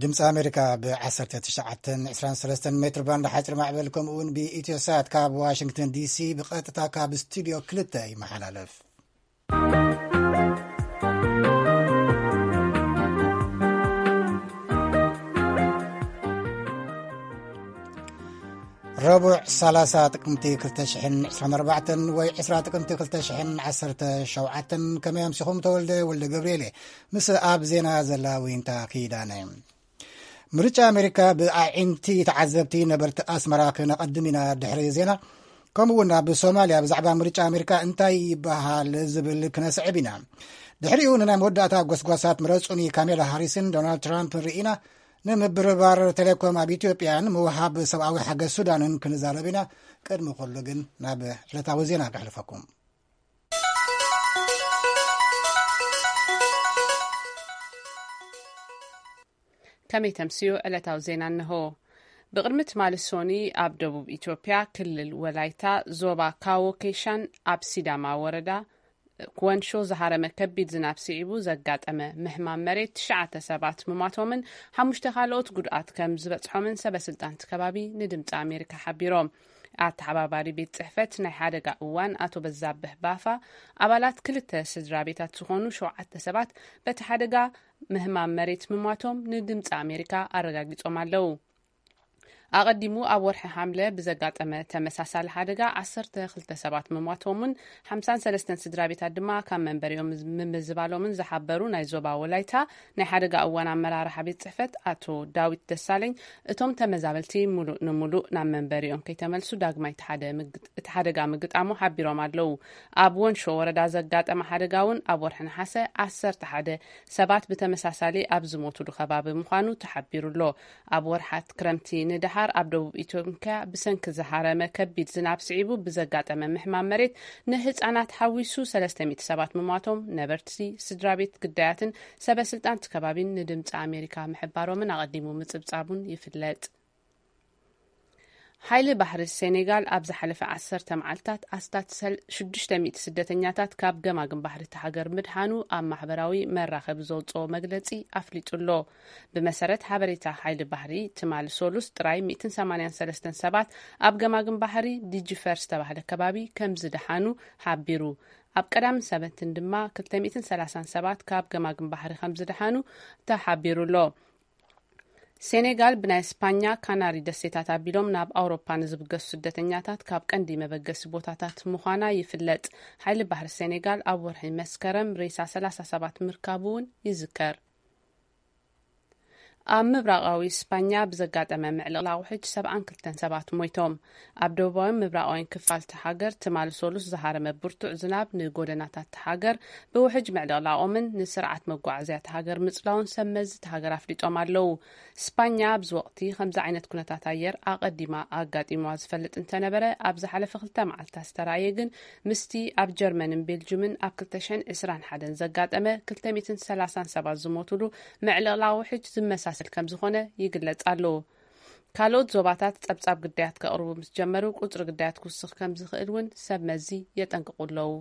ድምፂ ኣሜሪካ ብ ዓሰርተ ትሽዓተ ዕስራን ሰለስተን ሜትር ባንድ ሓፂር ማዕበል፣ ከምኡ እውን ብኢትዮ ሳት ካብ ዋሽንግተን ዲሲ ብቐጥታ ካብ ስቱዲዮ ክልተ ይመሓላለፍ። ረቡዕ ሰላሳ ጥቅምቲ ክልተ ሽሕን ዕስራን ኣርባዕተን ወይ ዕስራ ጥቅምቲ ክልተ ሽሕን ዓሰርተ ሸውዓተን። ከመይ ኣምሲኹም? ተወልደ ወልደ ገብርኤል እየ፣ ምስ ኣብ ዜና ዘላ ዊንታ ኪዳነ። ምርጫ ኣሜሪካ ብኣዒንቲ ተዓዘብቲ ነበርቲ ኣስመራ ክነቐድም ኢና ድሕሪ ዜና። ከምኡ እውን ኣብ ሶማልያ ብዛዕባ ምርጫ ኣሜሪካ እንታይ ይበሃል ዝብል ክነስዕብ ኢና። ድሕሪኡ ንናይ መወዳእታ ጎስጓሳት ምረጹኒ ካሜላ ሃሪስን ዶናልድ ትራምፕን ርኢና፣ ንምብርባር ቴሌኮም ኣብ ኢትዮጵያን ምውሃብ ሰብኣዊ ሓገዝ ሱዳንን ክንዛረብ ኢና። ቅድሚ ኩሉ ግን ናብ ዕለታዊ ዜና ከሕልፈኩም። ከመይ ተምስዩ? ዕለታዊ ዜና እንሆ። ብቕድሚ ትማሊ ሶኒ ኣብ ደቡብ ኢትዮጵያ ክልል ወላይታ ዞባ ካዎ ኬሻን ኣብ ሲዳማ ወረዳ ክወንሾ ዝሃረመ ከቢድ ዝናብ ስዒቡ ዘጋጠመ ምህማም መሬት ትሽዓተ ሰባት ምሟቶምን ሓሙሽተ ካልኦት ጉድኣት ከም ዝበጽሖምን ሰበ ስልጣን እቲ ከባቢ ንድምፂ ኣሜሪካ ሓቢሮም። ኣተሓባባሪ ቤት ጽሕፈት ናይ ሓደጋ እዋን ኣቶ በዛብህ ባፋ፣ ኣባላት ክልተ ስድራ ቤታት ዝኾኑ ሸውዓተ ሰባት በቲ ሓደጋ ምህማም መሬት ምሟቶም ንድምፂ ኣሜሪካ ኣረጋጊጾም ኣለዉ። ኣቐዲሙ ኣብ ወርሒ ሓምለ ብዘጋጠመ ተመሳሳሊ ሓደጋ ዓሰርተ ክልተ ሰባት ምሟቶምን ሓምሳን ሰለስተን ስድራ ቤታት ድማ ካብ መንበሪኦም ምምዝባሎምን ዝሓበሩ ናይ ዞባ ወላይታ ናይ ሓደጋ እዋን ኣመራርሓ ቤት ጽሕፈት ኣቶ ዳዊት ደሳለኝ፣ እቶም ተመዛበልቲ ሙሉእ ንሙሉእ ናብ መንበሪኦም ከይተመልሱ ዳግማይ እቲ ሓደ ምግጥ-፣ እቲ ሓደጋ ምግጣሙ ሓቢሮም ኣለዉ። ኣብ ወንሾ ወረዳ ዘጋጠመ ሓደጋ እውን ኣብ ወርሒ ነሓሰ ዓሰርተ ሓደ ሰባት ብተመሳሳሊ ኣብ ዝሞቱሉ ከባቢ ምዃኑ ተሓቢሩ ኣሎ። ኣብ ወርሓት ክረምቲ ንደሓር ኣብ ደቡብ ኢትዮጵያ ብሰንኪ ዝሃረመ ከቢድ ዝናብ ስዒቡ ብዘጋጠመ ምሕማም መሬት ንህጻናት ሓዊሱ ሰለስተ ሚእቲ ሰባት ምሟቶም ነበርቲ፣ ስድራ ቤት ግዳያትን ሰበ ስልጣን እቲ ከባቢን ንድምፂ ኣሜሪካ ምሕባሮምን ኣቐዲሙ ምጽብጻቡን ይፍለጥ። ሓይሊ ባሕሪ ሴኔጋል ኣብ ዝሓለፈ ዓሰርተ መዓልታት ኣስታት ሰል-፣ ሽዱሽተ ሚእቲ ስደተኛታት ካብ ገማግም ባሕሪ እቲ ሃገር ምድሓኑ ኣብ ማሕበራዊ መራኸቢ ዘውፅኦ መግለፂ ኣፍሊጡ ኣሎ። ብመሰረት ሓበሬታ ሓይሊ ባሕሪ፣ ትማሊ ሶሉስ ጥራይ ሚእትን ሰማንያን ሰለስተን ሰባት ኣብ ገማግም ባሕሪ ዲጂፈር ዝተባህለ ከባቢ ከም ዝደሓኑ ሓቢሩ። ኣብ ቀዳምን ሰበትን ድማ ክልተ ሚእትን ሰላሳን ሰባት ካብ ገማግም ባሕሪ ከም ዝደሓኑ ተሓቢሩ ኣሎ። ሴኔጋል ብናይ ስፓኛ ካናሪ ደሴታት ኣቢሎም ናብ ኣውሮፓ ንዝብገሱ ስደተኛታት ካብ ቀንዲ መበገሲ ቦታታት ምዃና ይፍለጥ። ሓይሊ ባሕሪ ሴኔጋል ኣብ ወርሒ መስከረም ሬሳ ሰላሳ ሰባት ምርካቡ እውን ይዝከር። ኣብ ምብራቓዊ ስፓኛ ብዘጋጠመ ምዕልቕላቕ ውሕጅ ሰብዓን ክልተን ሰባት ሞይቶም። ኣብ ደቡባዊን ምብራቓዊን ክፋል እቲ ሃገር ትማሊ ሶሉስ ዝሃረመ ብርቱዕ ዝናብ ንጎደናታት እቲ ሃገር ብውሕጅ ምዕልቕላቖምን ንስርዓት መጓዓዝያ እቲ ሃገር ምጽላውን ሰብ መዚ እቲ ሃገር ኣፍሊጦም ኣለዉ። ስፓኛ ኣብዚ ወቕቲ ከምዚ ዓይነት ኩነታት ኣየር ኣቐዲማ ኣጋጢምዋ ዝፈልጥ እንተነበረ፣ ኣብ ዝሓለፈ ክልተ መዓልታት ዝተራእየ ግን ምስቲ ኣብ ጀርመንን ቤልጅምን ኣብ ክልተ ሽሕን ዕስራን ሓደን ዘጋጠመ ክልተ ሚእትን ሰላሳን ሰባት ዝሞቱሉ ምዕልቕላቕ ውሕጅ ዝመሳሰል ከም ዝኾነ ይግለጽ ኣሎ። ካልኦት ዞባታት ጸብጻብ ግዳያት ከቕርቡ ምስ ጀመሩ፣ ቁጽሪ ግዳያት ክውስኽ ከም ዝኽእል እውን ሰብ መዚ የጠንቅቑ ኣለዉ።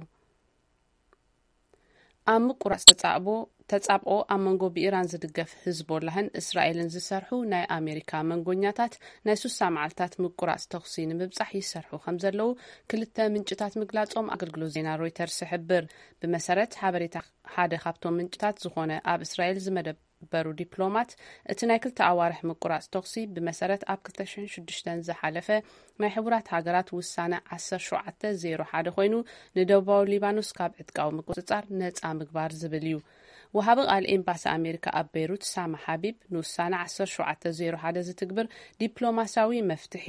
ኣብ ምቁራጽ ተጻብኦ፣ ተጻብኦ ኣብ መንጎ ብኢራን ዝድገፍ ህዝቦላህን እስራኤልን ዝሰርሑ ናይ ኣሜሪካ መንጎኛታት ናይ ሱሳ መዓልታት ምቁራጽ ተኹሲ ንምብጻሕ ይሰርሑ ከም ዘለዉ ክልተ ምንጭታት ምግላጾም ኣገልግሎት ዜና ሮይተርስ ይሕብር። ብመሰረት ሓበሬታ ሓደ ካብቶም ምንጭታት ዝኾነ ኣብ እስራኤል ዝመደብ በሩ ዲፕሎማት፣ እቲ ናይ ክልተ ኣዋርሕ ምቁራጽ ተኹሲ ብመሰረት ኣብ ክልተ ሽሕን ሽዱሽተን ዝሓለፈ ናይ ሕቡራት ሃገራት ውሳነ ዓሰርተ ሸውዓተ ዜሮ ሓደ ኮይኑ፣ ንደቡባዊ ሊባኖስ ካብ ዕጥቃዊ ምቁጽጻር ነጻ ምግባር ዝብል እዩ። ወሃቢ ቃል ኤምባሲ ኣሜሪካ ኣብ ቤይሩት ሳማ ሓቢብ፣ ንውሳነ ዓሰርተ ሸውዓተ ዜሮ ሓደ ዝትግብር ዲፕሎማሲያዊ መፍትሒ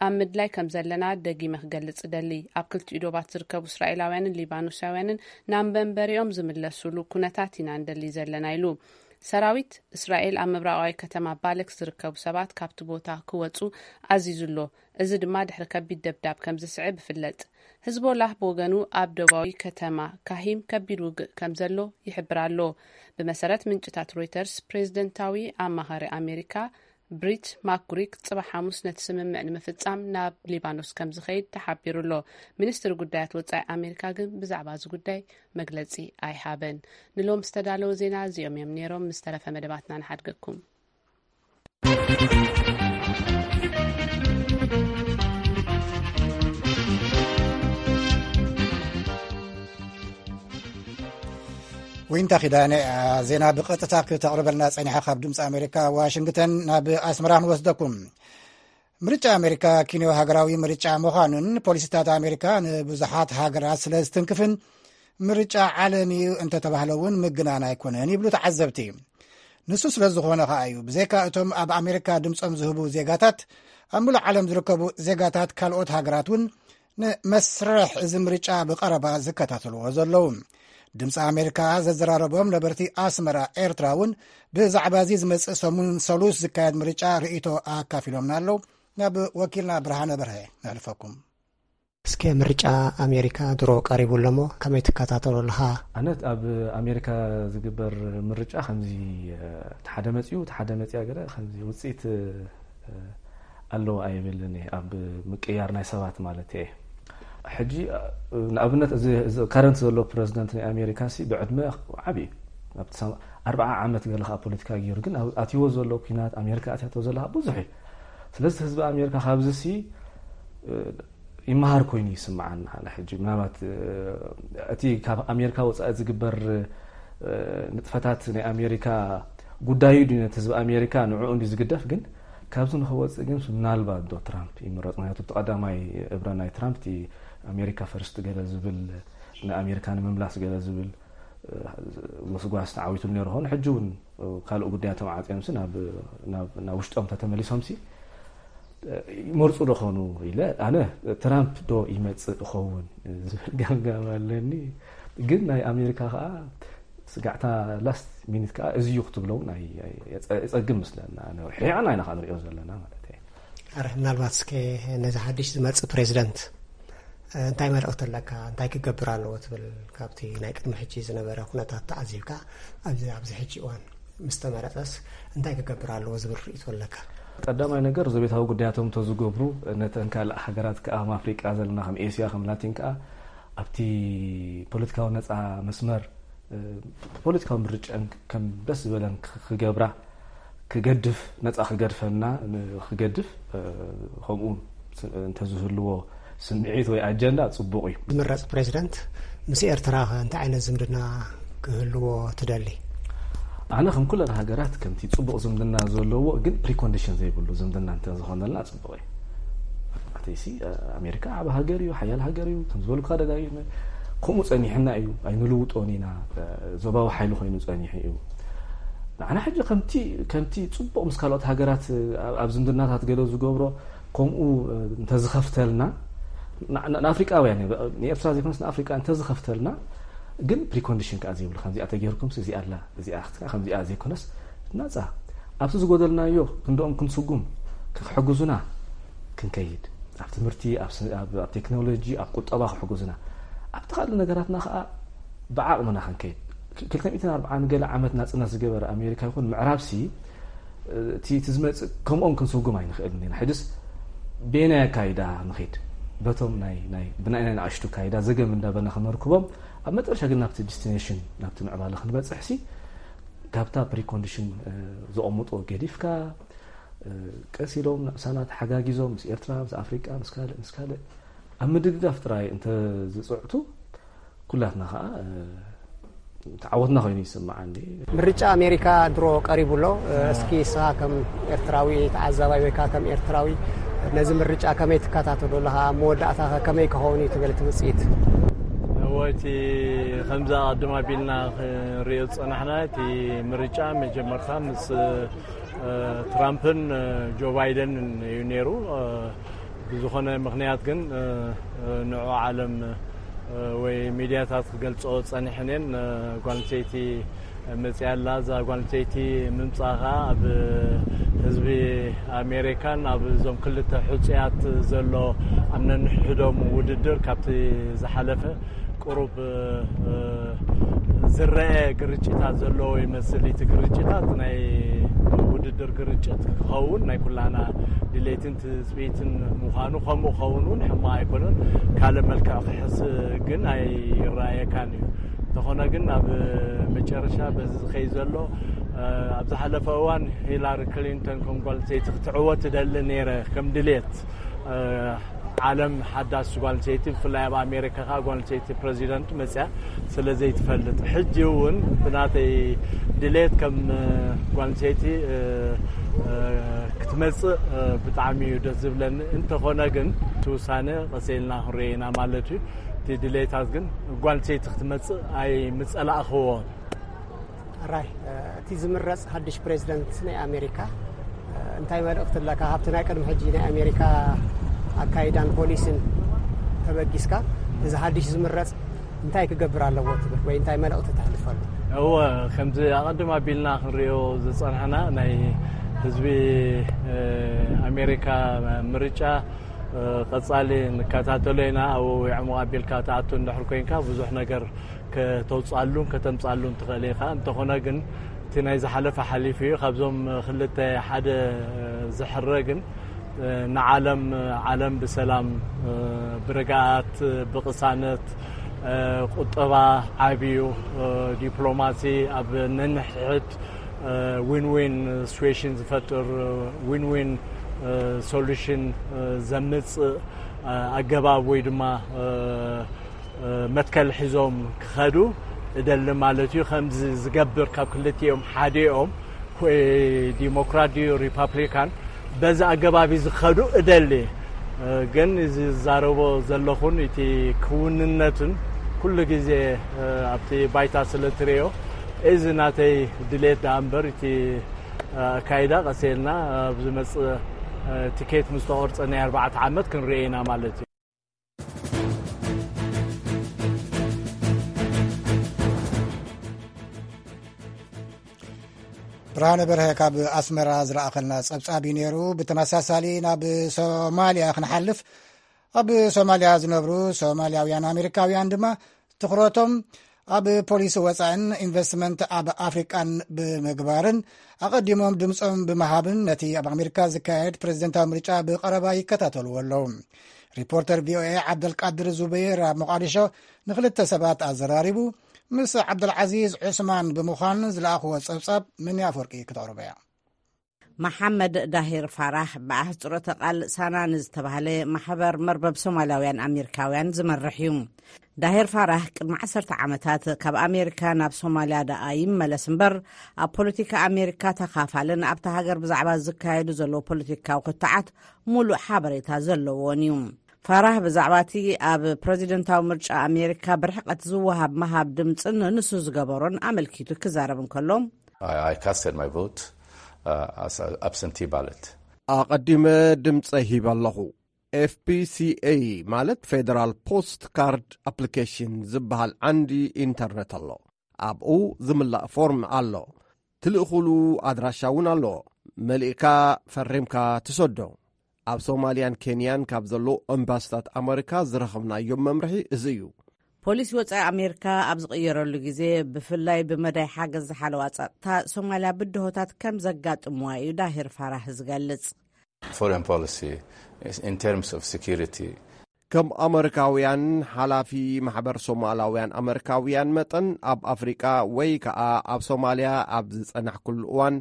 ኣብ ምድላይ ከም ዘለና ደጊመ ክገልጽ እደሊ። ኣብ ክልቲኡ ዶባት ዝርከቡ እስራኤላውያንን ሊባኖሳውያንን ናብ መንበሪኦም ዝምለሱሉ ኩነታት ኢና ንደሊ ዘለና ኢሉ። ሰራዊት እስራኤል ኣብ ምብራቓዊ ከተማ ባለክ ዝርከቡ ሰባት ካብቲ ቦታ ክወጹ ኣዚዙ ኣሎ። እዚ ድማ ድሕሪ ከቢድ ደብዳብ ከም ዝስዕብ ይፍለጥ። ህዝቦላህ ብወገኑ ኣብ ደቡባዊ ከተማ ካሂም ከቢድ ውግእ ከም ዘሎ ይሕብር ኣሎ። ብመሰረት ምንጭታት ሮይተርስ፣ ፕሬዝደንታዊ ኣማኻሪ ኣሜሪካ ብሪት ማክጉሪክ ጽባሕ ሓሙስ ነቲ ስምምዕ ንምፍጻም ናብ ሊባኖስ ከም ዝኸይድ ተሓቢሩ ኣሎ። ሚኒስትሪ ጉዳያት ወጻኢ ኣሜሪካ ግን ብዛዕባ እዚ ጉዳይ መግለጺ ኣይሃበን። ንሎም ዝተዳለወ ዜና እዚኦም እዮም ነይሮም። ምስ ተረፈ መደባትና ንሓድገኩም። ዊንታ ኪዳነ፣ ዜና ብቐጥታ ክተቕርበልና ጸኒሓ። ካብ ድምፂ ኣሜሪካ ዋሽንግተን ናብ ኣስመራ ክንወስደኩም። ምርጫ ኣሜሪካ ኪንዮ ሃገራዊ ምርጫ ምዃኑን ፖሊሲታት ኣሜሪካ ንብዙሓት ሃገራት ስለ ዝትንክፍን ምርጫ ዓለም እዩ እንተተባህለ እውን ምግናን ኣይኮነን ይብሉ ተዓዘብቲ። ንሱ ስለ ዝኾነ ከኣ እዩ ብዘይካ እቶም ኣብ ኣሜሪካ ድምፆም ዝህቡ ዜጋታት፣ ኣብ ሙሉእ ዓለም ዝርከቡ ዜጋታት ካልኦት ሃገራት እውን ንመስርሕ እዚ ምርጫ ብቐረባ ዝከታተልዎ ዘለዉ። ድምፂ ኣሜሪካ ዘዘራረቦም ነበርቲ ኣስመራ ኤርትራ እውን ብዛዕባ እዚ ዝመፅእ ሰሙን ሰሉስ ዝካየድ ምርጫ ርእይቶ ኣካፊሎምና ኣለዉ። ናብ ወኪልና ብርሃነ በርሀ ነሕልፈኩም። እስከ ምርጫ ኣሜሪካ ድሮ ቀሪቡ ኣሎ እሞ ከመይ ትከታተሎ ኣለኻ? ኣነት ኣብ ኣሜሪካ ዝግበር ምርጫ ከምዚ፣ እ፣ እቲ ሓደ መፂኡ፣ እቲ ሓደ መፂኣ ገለ ከምዚ ውፅኢት፣ እ፣ ኣለዎ ኣይብልን እየ፣ ኣብ ምቅያር ናይ ሰባት ማለት እየ። ሕጂ፣ እ፣ ንኣብነት እዚ፣ እዚ ካረንት ዘሎ ፕረዚደንት ናይ ኣሜሪካ ሲ ብዕድመ ዓብዪ እዩ። ኣብቲ ሰም-፣ ኣርብዓ ዓመት ገለ ከዓ ፖለቲካ ገይሩ፣ ግን ኣብ-፣ ኣትይዎ ዘሎ ኲናት፣ ኣሜሪካ ኣትያቶ ዘላ ብዙሕ እዩ። ስለዚ ህዝቢ ኣሜሪካ ካብዚ ሲ፣ እ፣ ይመሃር ኮይኑ ይስምዓኒ። ኣነ ሕጂ ምናልባት፣ እ፣ እቲ ካብ ኣሜሪካ ወጻኢ ዝግበር፣ እ፣ ንጥፈታት ናይ ኣሜሪካ ጉዳዩ ድዩ ነቲ ህዝቢ ኣሜሪካ ንዕኡ እንድዩ ዝግደፍ፣ ግን ካብዚ ንኽወጽእ ግን ምናልባት ዶ ትራምፕ ይምረጽ። ምክንያቱ እቲ ቀዳማይ እብረ ናይ ትራምፕ እቲ ኣሜሪካ ፈርስት ገለ ዝብል፣ ንኣሜሪካ ንምምላስ ገለ ዝብል፣ እ፣ ጎስጓስ ተዓዊቱሉ ነይሩ ኾን። ሕጂ እውን ካልእ ጉዳያቶም ዓጽዮምሲ ናብ፣ ናብ፣ ናብ ውሽጦም ተተመሊሶምሲ፣ ይመርጹ ዶ ኾኑ ኢለ፣ ኣነ ትራምፕ ዶ ይመጽእ ኸውን ዝብል ገምጋም ኣለኒ። ግን ናይ ኣሜሪካ ኸኣ ስጋዕታ ላስት ሚኒት ከኣ እዚ እዩ ክትብሎ እውን ኣይ-፣ ኣይ-፣ የጸ-፣ የጸግም ምስለና። ኣነ ርሒቕና ኢና ከኣ ንሪኦ ዘለና ማለት እየ። ኣረ፣ ምናልባት እስከ ነዚ ሓድሽ ዝመጽእ ፕሬዚደንት፣ እ፣ እንታይ መልእኽቲ ኣለካ? እንታይ ክገብር ኣለዎ ትብል? ካብቲ ናይ ቅድሚ ሕጂ ዝነበረ ኩነታት ተዓዚብካ፣ ኣብዚ፣ ኣብዚ ሕጂ እዋን ምስ ተመረጸስ እንታይ ክገብር ኣለዎ ዝብል ርእይቶ ኣለካ? ቀዳማይ ነገር፣ ዘቤታዊ ጉዳያቶም እንተዝገብሩ፣ ነተን ካልእ ሃገራት ከኣ፣ ከም ኣፍሪቃ ዘለና፣ ከም ኤስያ፣ ከም ላቲን ከኣ፣ ኣብቲ ፖለቲካዊ ነጻ መስመር፣ እ፣ ፖለቲካዊ ምርጫን ከም ደስ ዝበለን ክ-፣ ክገብራ፣ ክገድፍ፣ ነጻ ክገድፈና፣ ን-፣ ክገድፍ፣ እ፣ ከምኡ ስ-፣ እንተዝህልዎ ስምዒት ወይ ኣጀንዳ ጽቡቕ እዩ። ዝምረጽ ፕሬዚደንት ምስ ኤርትራ ከ እንታይ ዓይነት ዝምድና ክህልዎ ትደሊ? ኣነ ከም ኩለን ሃገራት ከምቲ ጽቡቕ ዝምድና ዘለዎ ግን ፕሪኮንዲሽን ዘይብሉ ዝምድና እንተዝኾነልና ጽቡቕ እዩ። ኣተይሲ፣ እ፣ ኣሜሪካ ዓቢ ሃገር እዩ፣ ሓያል ሃገር እዩ፣ ከም ዝበልኩኻ ደጋጊመ። ከምኡ ጸኒሕና እዩ፣ ኣይንልውጦን ኢና። እ፣ ዞባዊ ሓይሊ ኮይኑ ጸኒሑ እዩ። ንዓና ሕጂ ከምቲ፣ ከምቲ ጽቡቕ ምስ ካልኦት ሃገራት፣ እ፣ ኣብ፣ ኣብ ዝምድናታት ገለ ዝገብሮ ከምኡ፣ እ፣ እንተዝኸፍተልና፣ ን-፣ ን-፣ ንኣፍሪቃውያን፣ እ፣ ንኤርትራ ዘይኮነስ ንኣፍሪቃ እንተዝኸፍተልና፣ ግን ፕሪኮንዲሽን ከኣ ዘይብሉ፣ ከምዚኣ ተገይርኩምስ እዚኣ ኣላ፣ እዚኣ ክትከ-፣ ከምዚኣ ዘይኮነስ ናጻ፣ ኣብቲ ዝጎደልናዮ ክንድኦም ክንስጉም፣ ክሕግዙና ክንከይድ፣ ኣብ ትምህርቲ፣ ኣብ ስ-፣ ኣብ፣ ኣብ ቴክኖሎጂ፣ ኣብ ቁጠባ ክሕግዙና፣ ኣብቲ ካልእ ነገራትና ከኣ ብዓቕምና ክንከይድ። ክ-፣ ክልተ ሚእትን ኣርባዓን ገለ ዓመት ናጽነት ዝገበረ ኣሜሪካ ይኹን ምዕራብሲ፣ እቲ፣ እቲ ዝመጽእ ከምኦም ክንስጉም ኣይንኽእልን ኢና። ሕጅስ በየናይ ኣካይዳ ንኺድ? በቶም ናይ፣ ናይ፣ ብናይ፣ ናይ ንኣሽቱ ኣካይዳ ዘገም እንዳበልና ክነርክቦም፣ ኣብ መጨረሻ ግን ናብቲ ዲስቲኔሽን፣ ናብቲ ምዕባለ ክንበጽሕሲ፣ ካብታ ፕሪኮንዲሽን፣ እ፣ ዘቐምጥዎ ገዲፍካ፣ እ፣ ቀስ ኢሎም ነብሳና ተሓጋጊዞም፣ ምስ ኤርትራ፣ ምስ ኣፍሪቃ፣ ምስ ካልእ፣ ምስ ካልእ፣ ኣብ ምድግጋፍ ጥራይ እንተ ዝጽዕቱ፣ ኩላትና ኸኣ፣ እ፣ ተዓወትና ኮይኑ ይስምዓኒ። ምርጫ ኣሜሪካ ድሮ ቀሪቡ ኣሎ። እ፣ እስኪ ንስኻ ከም ኤርትራዊ ተዓዛባይ ወይ ከኣ ከም ኤርትራዊ ነዚ ምርጫ ከመይ ትከታተሎ ኣለኻ? ኣብ መወዳእታ ከ ከመይ ክኸውን እዩ ትብል እቲ ውጽኢት? እወ፣ እቲ ከምዚ ኣቐድም ኣቢልና ክንሪኦ ዝጸናሕና፣ እቲ ምርጫ መጀመርታ ምስ፣ እ፣ ትራምፕን፣ እ፣ ጆ ባይደንን እዩ ነይሩ። እ፣ ብዝኾነ ምኽንያት ግን፣ እ፣ እ፣ ንዑ ዓለም፣ እ፣ ወይ ሚድያታት ክገልጾ ጸኒሐን እየን። እ፣ ጓል ኣንስተይቲ መጽያ ኣላ። እዛ ጓል ኣንስተይቲ ምምጻእ ከኣ ኣብ ህዝቢ ኣሜሪካን ኣብ እዞም ክልተ ሕጹያት ዘሎ ኣብ ነንሕድሕዶም ውድድር ካብቲ ዝሓለፈ ቁሩብ፣ እ፣ ዝረአ ግርጭታት ዘለዎ ይመስል። እቲ ግርጭታት ናይ ውድድር ግርጭት ክኸውን ናይ ኩላና ድሌትን ትጽቢትን ምዃኑ፣ ከምኡ ክኸውን እውን ሕማቕ ኣይኮነን። ካልእ መልክዕ ክሕዝ ግን ኣይረኣየካን እዩ። እንተኾነ ግን ኣብ መጨረሻ በዚ ዝኸይ ዘሎ ኣብ ዝሓለፈ እዋን ሂላሪ ክሊንተን ከም ጓል ሰይቲ ክትዕወት ትደሊ ነይረ ከም ድሌት ዓለም ሓዳስ ጓል ሰይቲ ብፍላይ ኣብ ኣሜሪካ ከዓ ጓል ሰይቲ ፕሬዚደንት መፅያ ስለ ዘይትፈልጥ ሕጂ እውን ብናተይ ድሌት ከም ጓል ሰይቲ ክትመፅእ ብጣዕሚ እዩ ደስ ዝብለኒ። እንተኾነ ግን እቲ ውሳነ ቀስ ኢልና ክንሪኦ ኢና ማለት እዩ። እቲ ድሌታት ግን ጓል ሰይቲ ክትመፅእ ኣይምፀላእኽዎ። ራይ እቲ ዝምረፅ ሓድሽ ፕሬዚደንት ናይ ኣሜሪካ እንታይ መልእኽቲ ኣለካ? ካብቲ ናይ ቅድሚ ሕጂ ናይ ኣሜሪካ ኣካይዳን ፖሊሲን ተበጊስካ እዚ ሓድሽ ዝምረፅ እንታይ ክገብር ኣለዎ ትብል ወይ እንታይ መልእኽቲ ተሕልፈሉ? እወ፣ ከምዚ ኣቐድም ኣቢልና ክንሪኦ ዝፀናሕና ናይ ህዝቢ ኣሜሪካ ምርጫ ቀፃሊ ንከታተሎ ኢና። ኣብኡ ይዕሙቕ ኣቢልካ ትኣቱ እንድሕር ኮይንካ ብዙሕ ነገር ከተውፅኣሉን ከተምፅኣሉን ትኽእል ኢኻ። እንተኾነ ግን እቲ ናይ ዝሓለፈ ሓሊፉ እዩ። ካብዞም ክልተ ሓደ ዝሕረ ግን ንዓለም ዓለም ብሰላም ብርግኣት ብቕሳነት ቁጠባ ዓብዩ ዲፕሎማሲ ኣብ ነንሕድ ዊን ዊን ሲዌሽን ዝፈጥር ዊን ዊን ሶሉሽን ዘምፅእ ኣገባብ ወይ ድማ መትከል ሒዞም ክኸዱ እደሊ ማለት እዩ። ከምዚ ዝገብር ካብ ክልቲኦም ሓዲኦም ወይ ዲሞክራት ድዩ ሪፓብሊካን በዚ ኣገባብ ዝኸዱ እደሊ። ግን እዚ ዝዛረቦ ዘለኹን እቲ ክውንነቱን ኩሉ ግዜ ኣብቲ ባይታ ስለ ትርእዮ እዚ ናተይ ድሌት ደኣ እምበር እቲ ኣካይዳ ቀስ ኢልና ኣብ ዝመፅእ ትኬት ምስ ተቆርፀ ናይ ኣርባዕተ ዓመት ክንርኢ ኢና ማለት እዩ። ብርሃነ በርሀ ካብ ኣስመራ ዝረኣኸልና ጸብጻብ እዩ ነይሩ። ብተመሳሳሊ ናብ ሶማልያ ክንሓልፍ፣ ኣብ ሶማልያ ዝነብሩ ሶማልያውያን ኣሜሪካውያን ድማ ትኹረቶም ኣብ ፖሊሲ ወጻእን ኢንቨስትመንት ኣብ ኣፍሪቃን ብምግባርን ኣቐዲሞም ድምጾም ብምሃብን ነቲ ኣብ ኣሜሪካ ዝካየድ ፕሬዚደንታዊ ምርጫ ብቐረባ ይከታተልዎ ኣለዉ። ሪፖርተር ቪኦኤ ዓብደልቃድር ዙበይር ኣብ ሞቃዲሾ ንክልተ ሰባት ኣዘራሪቡ ምስ ዓብደልዓዚዝ ዑስማን ብምዃን ዝለኣኽዎ ጸብጻብ ምን ኣፈወርቂ ክተቕርቦ እያ። መሓመድ ዳሂር ፋራህ ብኣህፅሮተ ቃል ሳናን ዝተባህለ ማሕበር መርበብ ሶማላውያን ኣሜሪካውያን ዝመርሕ እዩ። ዳሂር ፋራህ ቅድሚ ዓሰርተ ዓመታት ካብ ኣሜሪካ ናብ ሶማልያ ደኣ ይመለስ እምበር ኣብ ፖለቲካ ኣሜሪካ ተኻፋልን ኣብታ ሃገር ብዛዕባ ዝካየዱ ዘለዉ ፖለቲካዊ ክትዓት ሙሉእ ሓበሬታ ዘለዎን እዩ። ፋራህ ብዛዕባ እቲ ኣብ ፕረዚደንታዊ ምርጫ ኣሜሪካ ብርሕቀት ዝወሃብ ምሃብ ድምፅን ንሱ ዝገበሮን ኣመልኪቱ ክዛረብ እንከሎ፣ I, I casted my vote uh, as an absentee ballot. ኣቐዲመ ድምፀ ሂበ ኣለኹ። ኤፍፒሲኤ ማለት ፌደራል ፖስት ካርድ ኣፕሊኬሽን ዝበሃል ዓንዲ ኢንተርነት ኣሎ። ኣብኡ ዝምላእ ፎርም ኣሎ። ትልእኹሉ ኣድራሻ እውን ኣሎ። መሊእካ ፈሪምካ ትሰዶ። ኣብ ሶማልያን ኬንያን ካብ ዘለዉ ኤምባስታት ኣመሪካ ዝረኸብናዮም መምርሒ እዚ እዩ። ፖሊሲ ወጻኢ ኣሜሪካ ኣብ ዝቕየረሉ ግዜ፣ ብፍላይ ብመዳይ ሓገዝ ዝሓለዋ ጸጥታ፣ ሶማልያ ብድሆታት ከም ዘጋጥምዋ እዩ ዳሂር ፋራህ ዝገልጽ። Foreign policy in terms of security. ከም ኣመሪካውያን ሓላፊ ማሕበር ሶማላውያን ኣመሪካውያን መጠን፣ ኣብ ኣፍሪቃ ወይ ከኣ ኣብ ሶማልያ ኣብ ዝጸናሕኩሉ እዋን፣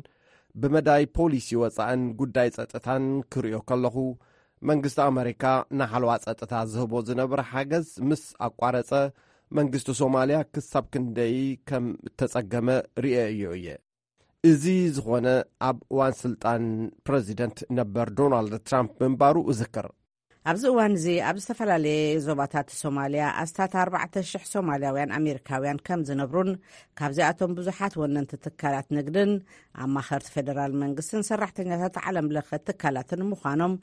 ብመዳይ ፖሊሲ ወጻእን ጉዳይ ጸጥታን ክርእዮ ከለኹ፣ መንግስቲ ኣመሪካ ንሓለዋ ጸጥታ ዝህቦ ዝነበረ ሓገዝ ምስ ኣቋረጸ፣ መንግስቲ ሶማልያ ክሳብ ክንደይ ከም እተጸገመ ርእየዮ እየ። እዚ ዝኾነ ኣብ እዋን ስልጣን ፕረዚደንት ነበር ዶናልድ ትራምፕ ምንባሩ እዝክር። ኣብዚ እዋን እዚ ኣብ ዝተፈላለየ ዞባታት ሶማልያ ኣስታት ኣርባዕተ ሽሕ ሶማልያውያን ኣሜሪካውያን ከም ዝነብሩን ካብዚኣቶም ብዙሓት ወነንቲ ትካላት ንግድን ኣማኸርቲ ፌደራል መንግስትን ሰራሕተኛታት ዓለም ለኸ ትካላትን ምዃኖም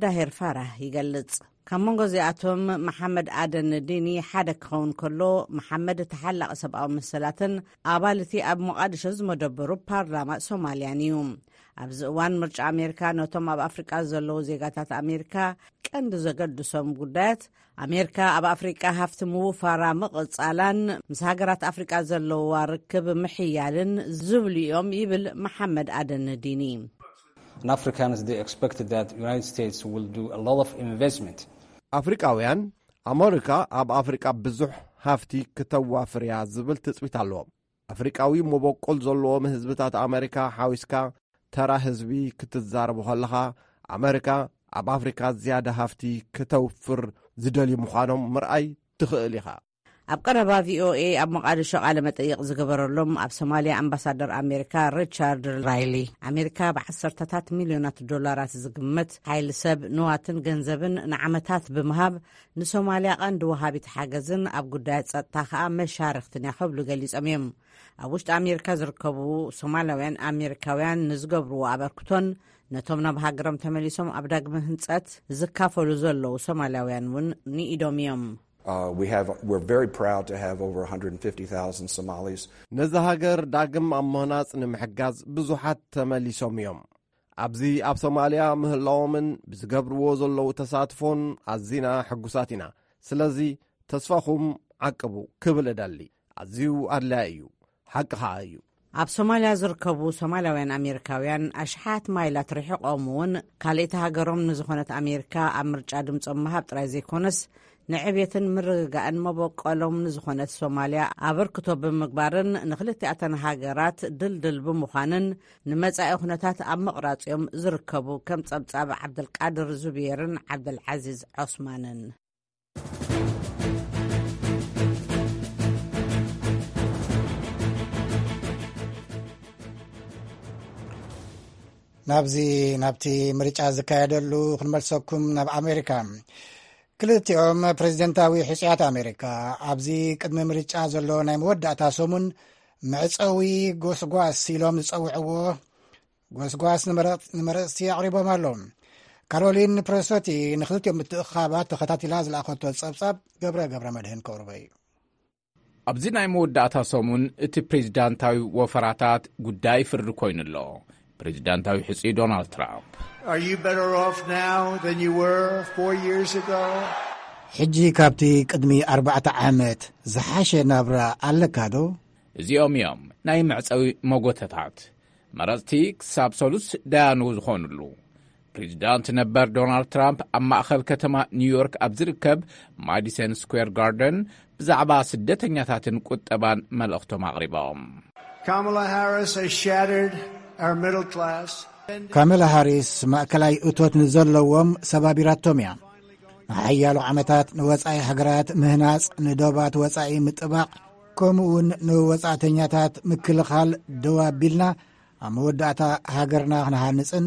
ዳሄር ፋራህ ይገልጽ። ካብ መንጎ እዚኣቶም መሓመድ ኣደን ዲኒ ሓደ ክኸውን ከሎ፣ መሓመድ ተሓላቒ ሰብኣዊ መሰላትን ኣባል እቲ ኣብ ሞቓድሾ ዝመደበሩ ፓርላማ ሶማልያን እዩ። ኣብዚ እዋን ምርጫ ኣሜሪካ ነቶም ኣብ ኣፍሪቃ ዘለዉ ዜጋታት ኣሜሪካ ቀንዲ ዘገድሶም ጉዳያት ኣሜሪካ ኣብ ኣፍሪቃ ሃፍቲ ምውፋራ ምቕጻላን ምስ ሃገራት ኣፍሪቃ ዘለዋ ርክብ ምሕያልን ዝብሉ እዮም ይብል መሓመድ ኣደን ዲኒ። And Africans, they expected that United States will do a lot of investment. ኣፍሪቃውያን ኣመሪካ ኣብ ኣፍሪቃ ብዙሕ ሃፍቲ ክተዋፍር እያ ዝብል ትጽቢት ኣለዎም። ኣፍሪቃዊ መበቆል ዘለዎም ህዝብታት ኣመሪካ ሓዊስካ፣ ተራ ህዝቢ ክትዛረቡ ከለኻ፣ ኣመሪካ ኣብ ኣፍሪካ ዝያዳ ሃፍቲ ክተውፍር ዝደልዩ ምዃኖም ምርኣይ ትኽእል ኢኻ። ኣብ ቀረባ ቪ ኦ ኤ ኣብ መቓድሾ ቃለ መጠይቕ ዝገበረሎም ኣብ ሶማልያ ኣምባሳደር ኣሜሪካ ሪቻርድ ራይሊ፣ ኣሜሪካ ብዓሰርተታት ሚልዮናት ዶላራት ዝግመት ሓይሊ ሰብ፣ ንዋትን ገንዘብን ንዓመታት ብምሃብ ንሶማልያ ቀንዲ ወሃቢት ሓገዝን ኣብ ጉዳያት ጸጥታ ከኣ መሻርኽትን እያ ክብሉ ገሊጾም እዮም። ኣብ ውሽጢ ኣሜሪካ ዝርከቡ ሶማላውያን ኣሜሪካውያን ንዝገብርዎ ኣበርክቶን ነቶም ናብ ሃገሮም ተመሊሶም ኣብ ዳግመ ህንጸት ዝካፈሉ ዘለዉ ሶማላውያን እውን ንኢዶም እዮም። Uh, we have, we're very proud to have over one hundred fifty thousand Somalis. ነዛ ሃገር ዳግም ኣብ ምህናጽ ንምሕጋዝ ብዙሓት ተመሊሶም እዮም። ኣብዚ ኣብ ሶማልያ ምህላዎምን ብዝገብርዎ ዘለዉ ተሳትፎን ኣዚና ሕጉሳት ኢና። ስለዚ ተስፋኹም ዓቅቡ ክብል እደሊ። ኣዝዩ ኣድላዪ እዩ። ሓቂ ኸኣ እዩ። ኣብ ሶማልያ ዝርከቡ ሶማላውያን ኣሜሪካውያን ኣሽሓት ማይላት ርሒቖም እውን ካልእቲ ሃገሮም ንዝኾነት ኣሜሪካ ኣብ ምርጫ ድምጾም ምሃብ ጥራይ ዘይኮነስ፣ ንዕብየትን ምርግጋእን መበቆሎም ንዝኾነት ሶማልያ ኣበርክቶ ብምግባርን ንክልቲኣተን ሃገራት ድልድል ብምዃንን ንመጻኢ ኩነታት ኣብ ምቕራጽ እዮም ዝርከቡ። ከም ጸብጻብ ዓብደልቃድር ዙብየርን ዓብደልዓዚዝ ዖስማንን። ናብዚ፣ ናብቲ ምርጫ ዝካየደሉ ክንመልሰኩም ናብ ኣሜሪካ። ክልቲኦም ፕሬዚደንታዊ ሕጹያት ኣሜሪካ ኣብዚ ቅድሚ ምርጫ ዘሎ ናይ መወዳእታ ሰሙን መዕጸዊ ጎስጓስ ኢሎም ዝጸውዕዎ ጎስጓስ ንመረጽ-፣ ንመረጽቲ ኣቕሪቦም ኣለዉ። ካሮሊን ፕረሶቲ ንክልቲኦም ምትእኻባት ተኸታቲላ ዝለኣኸቶ ጸብጻብ ገብረ ገብረ መድህን ከቕርቦ እዩ። ኣብዚ ናይ መወዳእታ ሰሙን እቲ ፕሬዚዳንታዊ ወፈራታት ጉዳይ ፍርዲ ኮይኑ ኣሎ። ፕሬዚዳንታዊ ሕጹይ ዶናልድ ትራምፕ። Are you better off now than you were four years ago? ሕጂ ካብቲ ቅድሚ ኣርባዕተ ዓመት ዝሓሸ ናብራ ኣለካ ዶ? እዚኦም እዮም ናይ መዕጸዊ መጎተታት። መረጽቲ ክሳብ ሰሉስ ደያኑ ዝኾኑሉ። ፕሬዚዳንት ነበር ዶናልድ ትራምፕ ኣብ ማእኸል ከተማ ኒውዮርክ ኣብ ዝርከብ ማዲሰን ስኩዌር ጋርደን ብዛዕባ ስደተኛታትን ቁጠባን መልእኽቶም ኣቕሪቦም። Kamala Harris has shattered our middle class. ካመላ ሃሪስ ማእከላይ እቶት ንዘለዎም ሰባቢራቶም እያ። ንሓያሎ ዓመታት ንወጻኢ ሃገራት ምህናጽ፣ ንዶባት ወጻኢ ምጥባቕ፣ ከምኡውን ንወጻእተኛታት ምክልኻል ደው ኣቢልና፣ ኣብ መወዳእታ ሃገርና ክንሃንጽን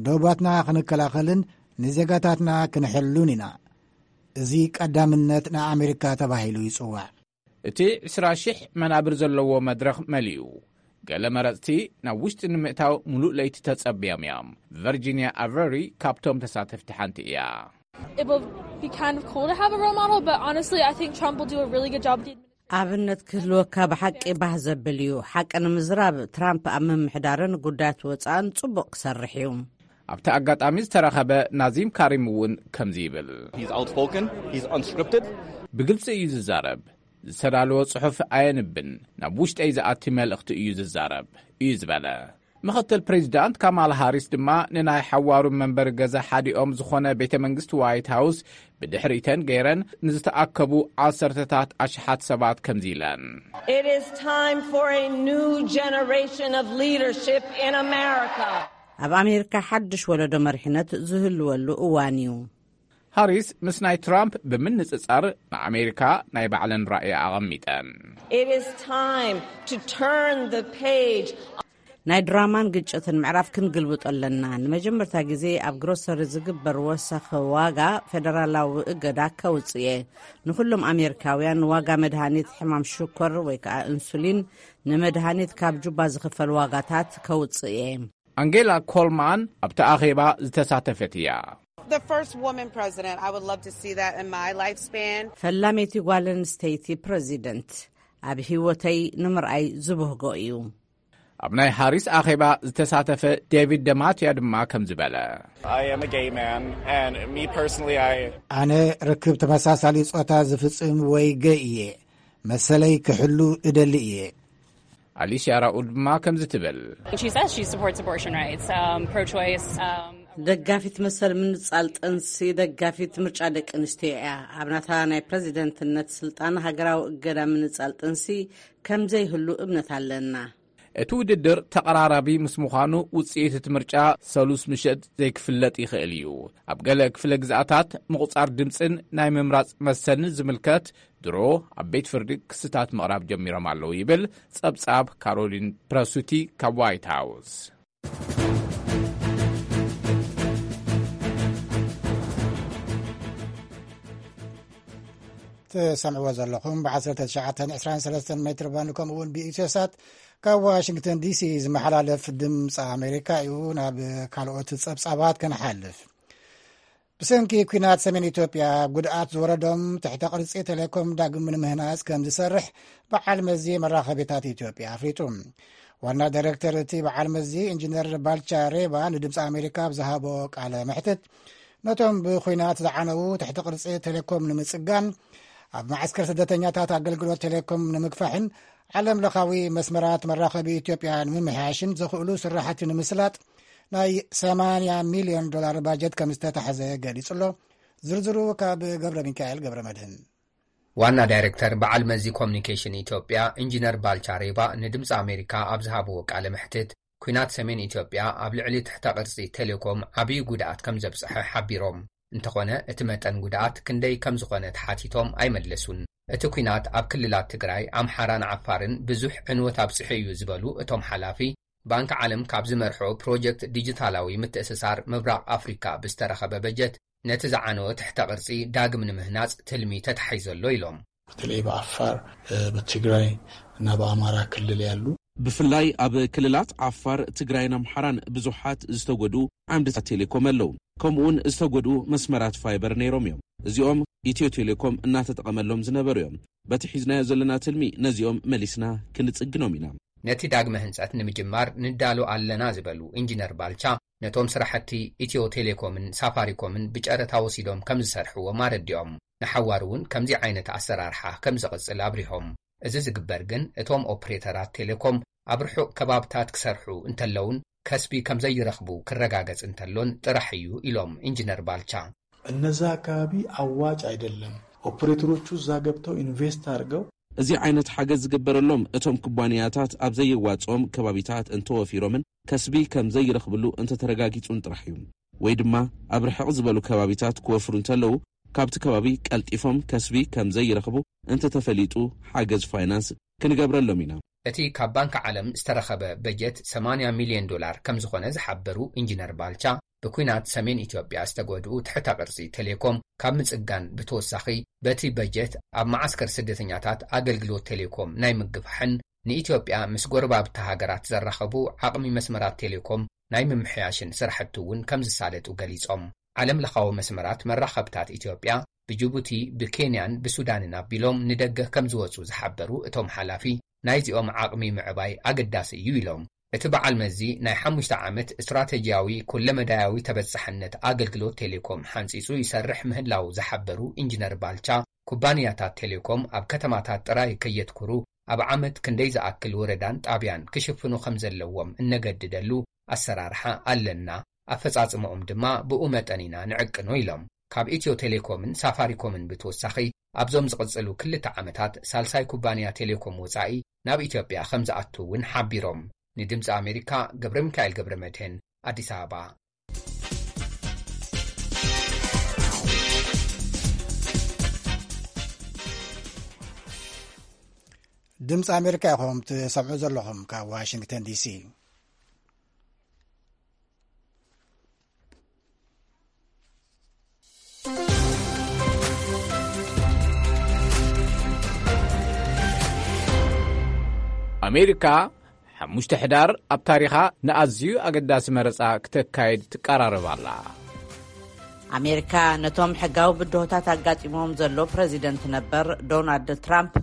ዶባትና ክንከላኸልን ንዜጋታትና ክንሕሉን ኢና። እዚ ቀዳምነት ንኣሜሪካ ተባሂሉ ይጽዋዕ። እቲ ዕስራ ሽሕ መናብር ዘለዎ መድረኽ መሊኡ። ገለ መረጽቲ ናብ ውሽጢ ንምእታው ሙሉእ ለይቲ ተጸብዮም እዮም። ቨርጂንያ ኣቨሪ ካብቶም ተሳተፍቲ ሓንቲ እያ። It will be kind of cool to have a role model, but honestly, I think Trump will do a really good job with the administration. ኣብነት ክህልወካ ብሓቂ ባህ ዘብል እዩ። ሓቂ ንምዝራብ፣ ትራምፕ ኣብ ምምሕዳርን ጉዳያት ወጻእን ጽቡቕ ክሰርሕ እዩ። ኣብቲ ኣጋጣሚ ዝተረኸበ ናዚም ካሪም እውን ከምዚ ይብል። He's outspoken, he's unscripted. ብግልጺ እዩ ዝዛረብ። ዝተዳለወ ጽሑፍ ኣየንብን፣ ናብ ውሽጠይ ዝኣቲ መልእኽቲ እዩ ዝዛረብ፣ እዩ ዝበለ። ምኽትል ፕሬዚዳንት ካማላ ሃሪስ ድማ ንናይ ሓዋሩ መንበሪ ገዛ ሓዲኦም ዝኾነ ቤተ መንግስቲ ዋይት ሃውስ ብድሕሪተን ገይረን ንዝተኣከቡ ዓሰርተታት ኣሽሓት ሰባት ከምዚ ኢለን። It is time for a new generation of leadership in America. ኣብ ኣሜሪካ ሓድሽ ወለዶ መሪሕነት ዝህልወሉ እዋን እዩ። ሃሪስ ምስ ናይ ትራምፕ ብምንጽጻር ንኣሜሪካ ናይ ባዕለን ራእይ ኣቐሚጠን። It is time to turn the page. ናይ ድራማን ግጭትን ምዕራፍ ክንግልብጦ ኣለና። ንመጀመርታ ግዜ ኣብ ግሮሰሪ ዝግበር ወሰኺ ዋጋ ፌደራላዊ እገዳ ከውጽእ እየ። ንኹሎም ኣሜሪካውያን ዋጋ መድሃኒት ሕማም ሽኮር ወይ ከዓ ኢንሱሊን፣ ንመድሃኒት ካብ ጁባ ዝኽፈል ዋጋታት ከውጽእ እየ። ኣንጌላ ኮልማን ኣብቲ ኣኼባ ዝተሳተፈት እያ። The first woman president, I would love to see that in my lifespan. ፈላመይቲ ጓል ኣንስተይቲ ፕረዚደንት ኣብ ህይወተይ ንምርኣይ ዝብህጎ እዩ። ኣብ ናይ ሃሪስ ኣኼባ ዝተሳተፈ ዴቪድ ደማትያ ድማ ከም ዝበለ። I am a gay man, and me personally, I ኣነ ርክብ ተመሳሳሊ ጾታ ዝፍጽም ወይ ገይ እየ። መሰለይ ክሕሉ እደሊ እየ። ኣሊስያ ራኡል ድማ ከምዚ ትብል። She says she supports abortion rights, um, pro-choice. Um, ደጋፊት መሰል ምንጻል ጥንሲ ደጋፊት ምርጫ ደቂ ኣንስትዮ እያ። ኣብ ናታ ናይ ፕረዚደንትነት ስልጣን ሃገራዊ እገዳ ምንጻል ጥንሲ ከም ዘይህሉ እምነት ኣለና። እቲ ውድድር ተቐራራቢ ምስ ምዃኑ፣ ውጽኢት እቲ ምርጫ ሰሉስ ምሸት ዘይክፍለጥ ይኽእል እዩ። ኣብ ገለ ክፍለ ግዝኣታት ምቑጻር ድምጽን ናይ ምምራጽ መሰልን ዝምልከት ድሮ ኣብ ቤት ፍርዲ ክስታት ምቕራብ ጀሚሮም ኣለዉ ይብል ጸብጻብ ካሮሊን ፕረሱቲ ካብ ዋይት ሃውስ። ትሰምዕዎ ዘለኹም ብ19 23 ሜትር ባንድ ከምኡ እውን ብኢትዮሳት ካብ ዋሽንግተን ዲሲ ዝመሓላለፍ ድምፂ ኣሜሪካ እዩ። ናብ ካልኦት ጸብጻባት ክንሓልፍ። ብሰንኪ ኲናት ሰሜን ኢትዮጵያ ጉድኣት ዝወረዶም ትሕተ ቅርጺ ቴሌኮም ዳግም ንምህናጽ ከም ዝሰርሕ በዓል መዚ መራኸቢታት ኢትዮጵያ ኣፍሊጡ። ዋና ዳይሬክተር እቲ በዓል መዚ ኢንጂነር ባልቻ ሬባ ንድምፂ ኣሜሪካ ኣብ ዝሃቦ ቃለ መሕትት፣ ነቶም ብኹናት ዝዓነዉ ትሕተ ቅርጺ ቴሌኮም ንምጽጋን፣ ኣብ መዓስከር ስደተኛታት ኣገልግሎት ቴሌኮም ንምግፋሕን ዓለም ለኻዊ መስመራት መራኸቢ ኢትዮጵያ ንምምሕያሽን ዘኽእሉ ስራሕቲ ንምስላጥ ናይ 80 ሚልዮን ዶላር ባጀት ከም ዝተታሕዘ ገሊጹ ኣሎ። ዝርዝሩ ካብ ገብረ ሚካኤል ገብረ መድህን። ዋና ዳይሬክተር በዓል መዚ ኮሚኒኬሽን ኢትዮጵያ ኢንጂነር ባልቻ ሬባ ንድምፂ ኣሜሪካ ኣብ ዝሃብዎ ቃለ መሕትት፣ ኲናት ሰሜን ኢትዮጵያ ኣብ ልዕሊ ትሕተ ቅርጺ ቴሌኮም ዓብዪ ጉድኣት ከም ዘብጽሐ ሓቢሮም። እንተኾነ እቲ መጠን ጉድኣት ክንደይ ከም ዝኾነ ተሓቲቶም ኣይመለሱን። እቲ ኲናት ኣብ ክልላት ትግራይ፣ ኣምሓራን ዓፋርን ብዙሕ ዕንወት ኣብጺሑ እዩ ዝበሉ እቶም ሓላፊ፣ ባንክ ዓለም ካብ ዝመርሖ ፕሮጀክት ዲጂታላዊ ምትእስሳር ምብራቕ ኣፍሪካ ብዝተረኸበ በጀት ነቲ ዝዓነወ ትሕተ ቅርጺ ዳግም ንምህናጽ ትልሚ ተታሒዙ ኣሎ ኢሎም። በተለይ በአፋር፣ በትግራይ እና በአማራ ክልል ያሉ ብፍላይ ኣብ ክልላት ዓፋር፣ ትግራይን ኣምሓራን ብዙሓት ዝተጎድኡ ዓምድታት ቴሌኮም ኣለዉ። ከምኡውን ዝተጎድኡ መስመራት ፋይበር ነይሮም እዮም። እዚኦም ኢትዮ ቴሌኮም እናተጠቐመሎም ዝነበሩ እዮም። በቲ ሒዝናዮ ዘለና ትልሚ ነዚኦም መሊስና ክንጽግኖም ኢና። ነቲ ዳግመ ህንጸት ንምጅማር ንዳሎ ኣለና ዝበሉ ኢንጂነር ባልቻ፣ ነቶም ስራሕቲ ኢትዮ ቴሌኮምን ሳፋሪኮምን ብጨረታ ወሲዶም ከም ዝሰርሕዎም ኣረዲኦም። ንሓዋሩ እውን ከምዚ ዓይነት ኣሰራርሓ ከም ዝቕጽል ኣብሪሆም። እዚ ዝግበር ግን እቶም ኦፕሬተራት ቴሌኮም ኣብ ርሑቕ ከባብታት ክሰርሑ እንተለውን ከስቢ ከም ዘይረኽቡ ክረጋገጽ እንተሎን ጥራሕ እዩ ኢሎም ኢንጂነር ባልቻ። እነዛ አካባቢ አዋጭ አይደለም። ኦፕሬተሮቹ እዛ ገብተው ኢንቨስት አድርገው እዚ ዓይነት ሓገዝ ዝግበረሎም እቶም ኩባንያታት ኣብ ዘየዋጽኦም ከባቢታት እንተወፊሮምን ከስቢ ከም ዘይረኽብሉ እንተተረጋጊጹን ጥራሕ እዩ። ወይ ድማ ኣብ ርሕቕ ዝበሉ ከባቢታት ክወፍሩ እንተለዉ ካብቲ ከባቢ ቀልጢፎም ከስቢ ከም ዘይረኽቡ እንተተፈሊጡ ሓገዝ ፋይናንስ ክንገብረሎም ኢና። እቲ ካብ ባንክ ዓለም ዝተረኸበ በጀት 80 ሚልዮን ዶላር ከም ዝኾነ ዝሓበሩ ኢንጂነር ባልቻ፣ ብኲናት ሰሜን ኢትዮጵያ ዝተጎድኡ ትሕተ ቅርጺ ቴሌኮም ካብ ምጽጋን ብተወሳኺ፣ በቲ በጀት ኣብ መዓስከር ስደተኛታት ኣገልግሎት ቴሌኮም ናይ ምግፋሕን ንኢትዮጵያ ምስ ጎረባብቲ ሃገራት ዘራኸቡ ዓቕሚ መስመራት ቴሌኮም ናይ ምምሕያሽን ስራሕቲ እውን ከም ዝሳለጡ ገሊጾም። ዓለም ለኻዊ መስመራት መራኸብታት ኢትዮጵያ ብጅቡቲ፣ ብኬንያን ብሱዳንን ኣቢሎም ንደገ ከም ዝወጹ ዝሓበሩ እቶም ሓላፊ፣ ናይዚኦም ዓቕሚ ምዕባይ ኣገዳሲ እዩ ኢሎም። እቲ በዓል መዚ ናይ ሓሙሽተ ዓመት ስትራተጂያዊ ኩለመዳያዊ ተበጻሕነት ኣገልግሎት ቴሌኮም ሓንጺጹ ይሰርሕ ምህላው ዝሓበሩ ኢንጂነር ባልቻ፣ ኩባንያታት ቴሌኮም ኣብ ከተማታት ጥራይ ከየትኩሩ፣ ኣብ ዓመት ክንደይ ዝኣክል ወረዳን ጣብያን ክሽፍኑ ከም ዘለዎም እነገድደሉ ኣሰራርሓ ኣለና፣ ኣፈጻጽምኦም ድማ ብኡ መጠን ኢና ንዕቅኖ ኢሎም። ካብ ኢትዮ ቴሌኮምን ሳፋሪኮምን ብተወሳኺ፣ ኣብዞም ዝቕጽሉ ክልተ ዓመታት ሳልሳይ ኩባንያ ቴሌኮም ወጻኢ ናብ ኢትዮጵያ ከም ዝኣቱ እውን ሓቢሮም። ንድምፂ ኣሜሪካ ገብረ ሚካኤል ገብረ መድህን፣ ኣዲስ ኣበባ። ድምፂ ኣሜሪካ ኢኹም ትሰምዑ ዘለኹም ካብ ዋሽንግተን ዲሲ። ኣሜሪካ ሓሙሽተ ሕዳር ኣብ ታሪኻ ንኣዝዩ ኣገዳሲ መረጻ ክተካይድ ትቀራረብ ኣላ። ኣሜሪካ ነቶም ሕጋዊ ብድሆታት ኣጋጢሞም ዘሎ ፕረዚደንት ነበር ዶናልድ ትራምፕ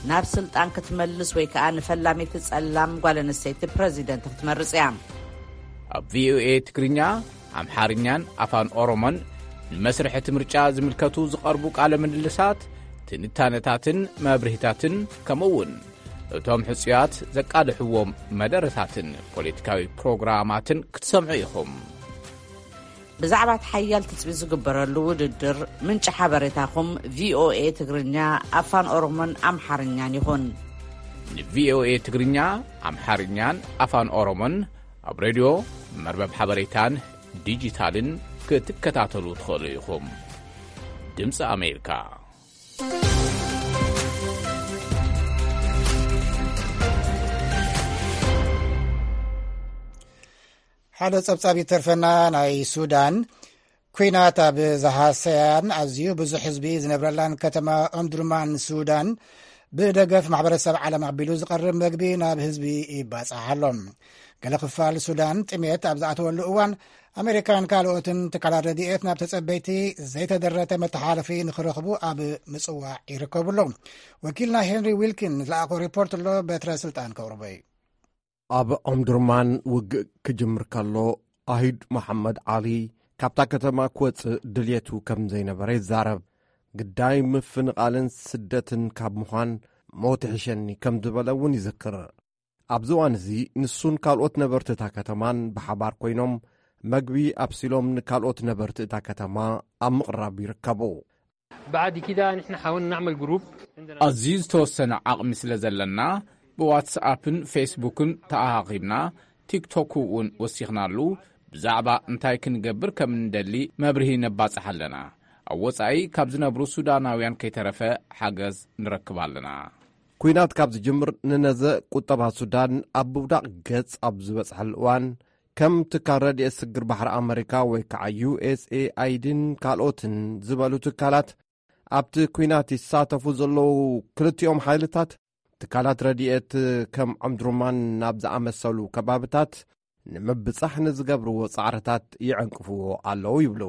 ናብ ስልጣን ክትመልስ ወይ ከኣ ንፈላሚት ጸላም ጓል ኣንስተይቲ ፕረዚደንት ክትመርጽ እያ። ኣብ ቪኦኤ ትግርኛ፣ ኣምሓርኛን ኣፋን ኦሮሞን ንመስርሕ እቲ ምርጫ ዝምልከቱ ዝቐርቡ ቃለ ምልልሳት፣ ትንታነታትን መብርሂታትን፣ ከምኡ እውን እቶም ሕጹያት ዘቃልሕዎም መደረታትን ፖለቲካዊ ፕሮግራማትን ክትሰምዑ ኢኹም። ብዛዕባ እቲ ሓያል ትጽቢት ዝግበረሉ ውድድር ምንጪ ሓበሬታኹም ቪኦኤ ትግርኛ፣ ኣፋን ኦሮሞን ኣምሓርኛን ይኹን። ንቪኦኤ ትግርኛ፣ ኣምሓርኛን ኣፋን ኦሮሞን ኣብ ሬድዮ፣ መርበብ ሓበሬታን ዲጂታልን ክትከታተሉ ትኽእሉ ኢኹም። ድምፂ ኣሜሪካ። ሓደ ጸብጻብ ይተርፈና። ናይ ሱዳን ኲናት ኣብ ዝሃሰያን ኣዝዩ ብዙሕ ህዝቢ ዝነብረላን ከተማ ኦምዱርማን ሱዳን፣ ብደገፍ ማሕበረሰብ ዓለም ኣቢሉ ዝቐርብ መግቢ ናብ ህዝቢ ይባጻሕ ኣሎ። ገለ ክፋል ሱዳን ጥሜት ኣብ ዝኣተወሉ እዋን፣ ኣሜሪካን ካልኦትን ትካላት ረድኤት ናብ ተጸበይቲ ዘይተደረተ መተሓላለፊ ንኽረኽቡ ኣብ ምጽዋዕ ይርከቡ ኣለዉ። ወኪልና ሄንሪ ዊልኪን ዝለኣኾ ሪፖርት ኣሎ፣ በትረ ስልጣን ከቕርቦ እዩ። ኣብ ኦምዱርማን ውግእ ክጅምር ከሎ፣ ኣሂድ መሓመድ ዓሊ ካብታ ከተማ ክወጽእ ድልየቱ ከም ዘይነበረ ይዛረብ። ግዳይ ምፍንቓልን ስደትን ካብ ምዃን ሞት ይሕሸኒ ከም ዝበለ እውን ይዝክር። ኣብዚ እዋን እዚ ንሱን ካልኦት ነበርቲ እታ ከተማን ብሓባር ኮይኖም መግቢ ኣብሲሎም ንካልኦት ነበርቲ እታ ከተማ ኣብ ምቕራብ ይርከቡ። بعد كده نحن حاولنا نعمل جروب. عندنا ኣዝዩ ዝተወሰነ ዓቕሚ ስለ ዘለና፣ ብዋትስኣፕን ፌስቡክን ተኣኻኺብና፣ ቲክቶክ እውን ወሲኽናሉ። ብዛዕባ እንታይ ክንገብር ከም እንደሊ መብርሂ ነባጽሕ ኣለና። ኣብ ወጻኢ ካብ ዝነብሩ ሱዳናውያን ከይተረፈ ሓገዝ ንረክብ ኣለና። ኲናት ካብ ዝጅምር፣ ንነዘ ቁጠባ ሱዳን ኣብ ምውዳቕ ገጽ ኣብ ዝበጽሐሉ እዋን፣ ከም ትካል ረድኤት ስግር ባሕሪ ኣመሪካ ወይ ከዓ ዩ ኤስ ኤ ኣይ ዲን ካልኦትን ዝበሉ ትካላት፣ ኣብቲ ኲናት ይሳተፉ ዘለዉ ክልቲኦም ሓይልታት፣ ትካላት ረድኤት ከም ዖምድሩማን ናብ ዝኣመሰሉ ከባብታት ንምብጻሕ ንዝገብርዎ ጻዕርታት ይዕንቅፍዎ ኣለዉ ይብሉ።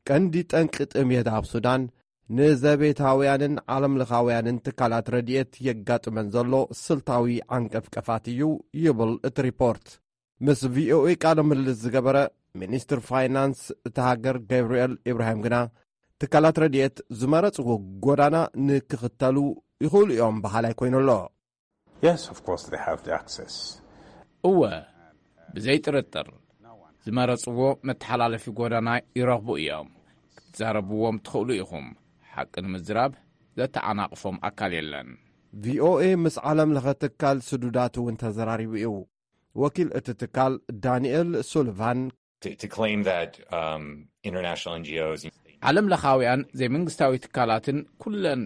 ቀንዲ ጠንቂ ጥሜት ኣብ ሱዳን፣ ንዘቤታውያንን ዓለምለኻውያንን ትካላት ረድኤት የጋጥመን ዘሎ ስልታዊ ዓንቀፍቀፋት እዩ ይብል እቲ ሪፖርት። ምስ ቪኦኤ ቃለ ምልልስ ዝገበረ ሚኒስትር ፋይናንስ እታ ሃገር ገብርኤል ኢብራሂም ግና፣ ትካላት ረድኤት ዝመረጽዎ ጎዳና ንክኽተሉ ይኽእሉ እዮም በሃላይ ኮይኑ ኣሎ። Yes, of course they have the access. እወ፣ ብዘይ ጥርጥር ዝመረጽዎ መተሓላለፊ ጎዳና ይረኽቡ እዮም። ክትዛረብዎም ትኽእሉ ኢኹም። ሓቂ ንምዝራብ ዘተዓናቕፎም ኣካል የለን። ቪኦኤ ምስ ዓለም ለኸ ትካል ስዱዳት እውን ተዘራሪቡ እዩ። ወኪል እቲ ትካል ዳንኤል ሱልቫን፣ To, to claim that, um, international N G Os ዓለም ለኻውያን ዘይመንግስታዊ ትካላትን ኩለን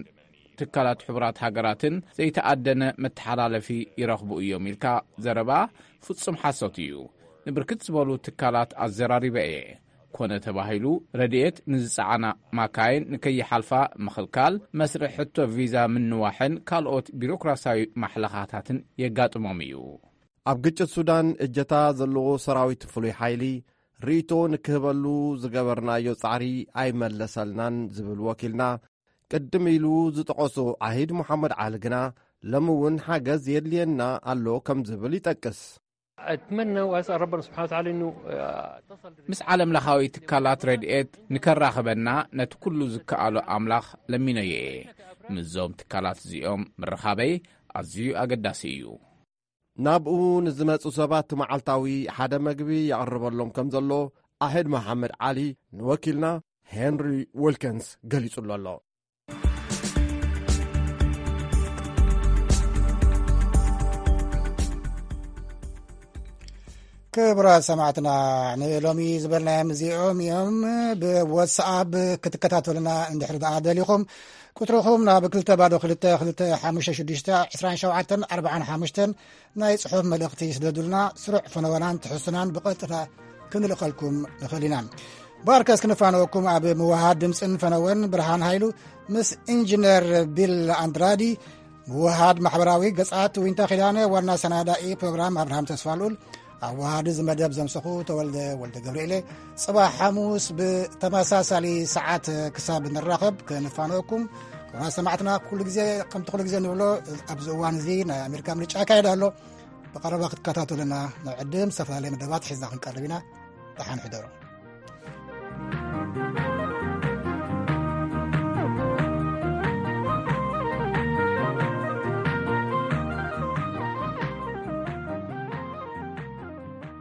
ትካላት ሕቡራት ሃገራትን ዘይተኣደነ መተሓላለፊ ይረኽቡ እዮም ኢልካ ዘረባ ፍጹም ሓሶት እዩ። ንብርክት ዝበሉ ትካላት ኣዘራሪበ እየ። ኮነ ተባሂሉ ረድኤት ንዝጸዓና ማካይን ንከይሓልፋ ምኽልካል፣ መስርሕ ሕቶ ቪዛ ምንዋሕን ካልኦት ቢሮክራሲያዊ ማሕለኻታትን የጋጥሞም እዩ። ኣብ ግጭት ሱዳን እጀታ ዘለዎ ሰራዊት ፍሉይ ሓይሊ ርእይቶ ንክህበሉ ዝገበርናዮ ጻዕሪ ኣይመለሰልናን ዝብል ወኪልና፣ ቅድም ኢሉ ዝጠቐሶ ዓሂድ መሓመድ ዓሊ ግና፣ ሎሚ እውን ሓገዝ የድልየና ኣሎ ከም ዝብል ይጠቅስ። أتمنى وأسأل ربنا سبحانه وتعالى إنه، آه، تصل ምስ ዓለም ለኻዊ ትካላት ረድኤት ንከራኽበና ነቲ ኩሉ ዝከኣሎ ኣምላኽ ለሚነዮ እየ። ምስዞም ትካላት እዚኦም ምርኻበይ ኣዝዩ ኣገዳሲ እዩ። ናብኡ ንዝመጹ ሰባት መዓልታዊ ሓደ መግቢ የቕርበሎም ከም ዘሎ ኣሕድ መሓመድ ዓሊ ንወኪልና ሄንሪ ዊልኪንስ ገሊጹሉ ኣሎ። ክቡራት ሰማዕትና፣ ንሎሚ ዝበልናዮም እዚኦም እዮም። ብዋትስኣፕ ክትከታተሉና እንድሕር ደኣ ደሊኹም፣ ቁጽርኹም ናብ ክልተ ባዶ ክልተ ክልተ ሓሙሽተ ሽዱሽተ ዕስራን ሸውዓተን ኣርባዓን ሓሙሽተን ናይ ጽሑፍ መልእኽቲ ስደዱልና። ስሩዕ ፈነወናን ትሕዝቶናን ብቐጥታ ክንልእኸልኩም ንኽእል ኢና። ባርከስ ክንፋነወኩም ኣብ ምውሃድ ድምፅን ፈነወን ብርሃን ሃይሉ ምስ ኢንጂነር ቢል ኣንድራዲ፣ ምውሃድ ማሕበራዊ ገጻት ዊንታ ኪዳነ፣ ዋና ሰናዳኢ ፕሮግራም ኣብርሃም ተስፋልኡል፣ ኣዋሃዲ እዚ መደብ ዘምሰኹ ተወልደ ወልደ ገብርኤለ። ጽባሕ ሓሙስ ብተመሳሳሊ ሰዓት ክሳብ ንራኸብ ክንፋነወኩም። ክቡራት ሰማዕትና፣ ኩሉ ግዜ ከምቲ ኩሉ ግዜ ንብሎ፣ ኣብዚ እዋን እዚ ናይ ኣሜሪካ ምርጫ ይካየድ ኣሎ። ብቐረባ ክትከታተሉና ንዕድም። ዝተፈላለየ መደባት ሒዝና ክንቀርብ ኢና። ደሓን ሕደሩ።